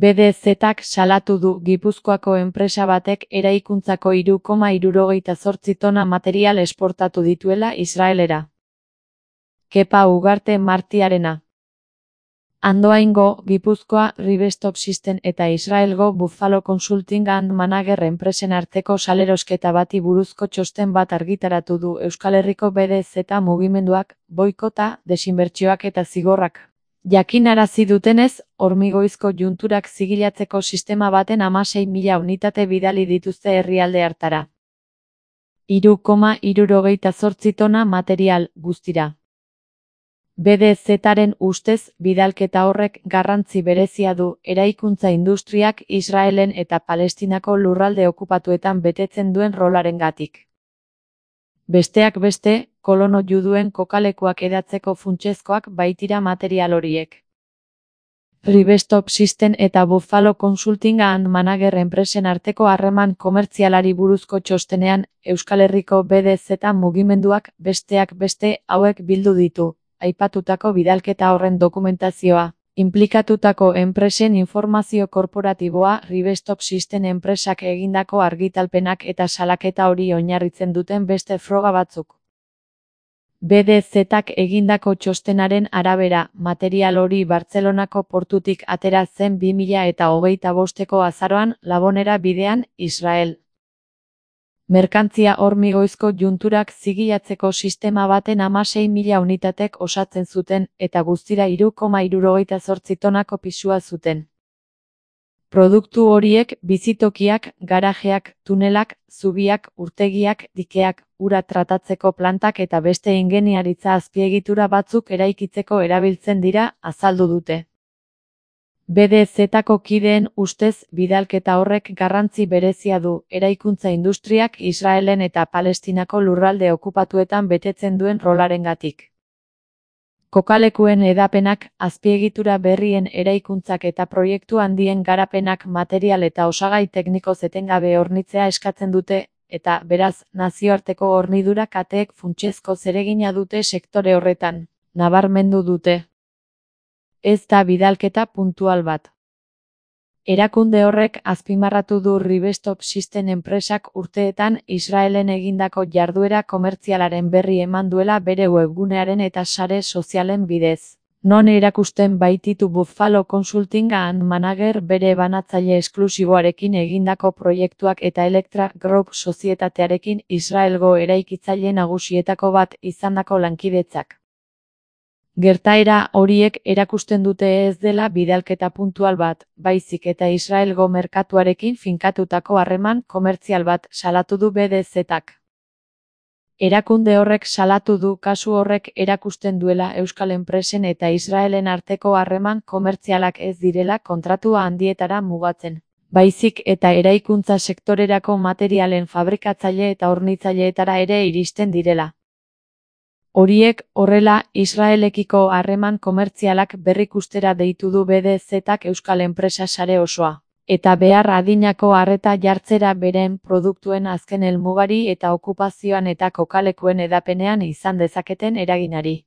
BDZ-ak salatu du Gipuzkoako enpresa batek eraikuntzako 3,68 tona material esportatu dituela Israelera. Kepa Ugarte Martiarena. Andoaingo, Gipuzkoa, Rivestop System eta Israelgo Buffalo Consulting and Manager enpresen arteko salerosketa bati buruzko txosten bat argitaratu du Euskal Herriko BDZ mugimenduak, boikota, desinbertsioak eta zigorrak. Jakinarazi dutenez, hormigoizko junturak zigilatzeko sistema baten 16.000 unitate bidali dituzte herrialde hartara. 3,68 tona material, guztira. BDZ-aren ustez, bidalketa horrek garrantzi berezia du eraikuntza industriak Israelen eta Palestinako lurralde okupatuetan betetzen duen rolarengatik. Besteak beste, kolono juduen kokalekuak edatzeko funtsezkoak baitira material horiek. Rivestop System eta Buffalo Consulting and Manager enpresen arteko harreman komertzialari buruzko txostenean, Euskal Herriko BDZ mugimenduak besteak beste hauek bildu ditu. Aipatutako bidalketa horren dokumentazioa, inplikatutako enpresen informazio korporatiboa, Rivestop System enpresak egindako argitalpenak eta salaketa hori oinarritzen duten beste froga batzuk. BDZ-ak egindako txostenaren arabera, material hori Bartzelonako portutik atera zen 2025ko azaroan Labonera bidean, Israel. Merkantzia hormigoizko junturak zigilatzeko sistema baten 16.000 unitatek osatzen zuten eta guztira 3,68 tonako pisua zuten. Produktu horiek bizitokiak, garajeak, tunelak, zubiak, urtegiak, dikeak, ura tratatzeko plantak eta beste ingeniaritza azpiegitura batzuk eraikitzeko erabiltzen dira, azaldu dute. BDZ-ako kideen ustez, bidalketa horrek garrantzi berezia du eraikuntza industriak Israelen eta Palestinako lurralde okupatuetan betetzen duen rolarengatik. Kokalekuen edapenak, azpiegitura berrien eraikuntzak eta proiektu handien garapenak material eta osagai teknikoz etengabe hornitzea eskatzen dute, eta, beraz, nazioarteko hornidura kateek funtsezko zeregina dute sektore horretan, nabarmendu dute. Ez da bidalketa puntual bat. Erakunde horrek azpimarratu du Rivestop System enpresak urteetan Israelen egindako jarduera komertzialaren berri eman duela bere webgunearen eta sare sozialen bidez. Non erakusten baititu Buffalo Consulting and Manager bere banatzaile esklusiboarekin egindako proiektuak eta Electra Group sozietatearekin Israelgo eraikitzaile nagusietako bat izandako lankidetzak. Gertaera horiek erakusten dute ez dela bidalketa puntual bat, baizik eta Israelgo merkatuarekin finkatutako harreman komertzial bat salatu du BDZ-ak. Erakunde horrek salatu du kasu horrek erakusten duela Euskal enpresen eta Israelen arteko harreman komertzialak ez direla kontratua handietara mugatzen, baizik eta eraikuntza sektorerako materialen fabrikatzaile eta hornitzaileetara ere iristen direla. Horiek, horrela, Israelekiko harreman komertzialak berrikustera deitu du BDZ-ak Euskal enpresa sare osoa, eta behar adinako arreta jartzera beren produktuen azken helmugari eta okupazioan eta kokalekuen edapenean izan dezaketen eraginari.